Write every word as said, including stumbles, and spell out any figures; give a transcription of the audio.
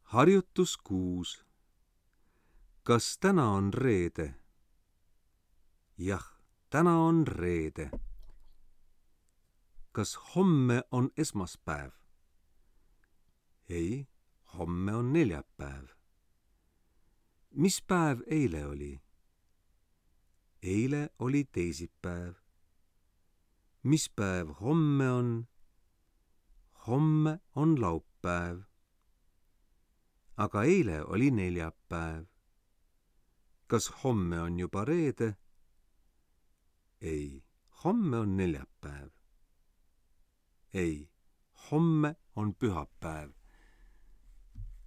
Harjutus kuus. Kas täna on reede? Jah, täna on reede. Kas homme on esmaspäev? Ei, homme on neljapäev. Mis päev eile oli? Eile oli teisipäev. Mis päev homme on? Homme on laupäev. Aga eile oli neljapäev. Kas homme on juba reede? Ei, homme on neljapäev. Ei, homme on pühapäev.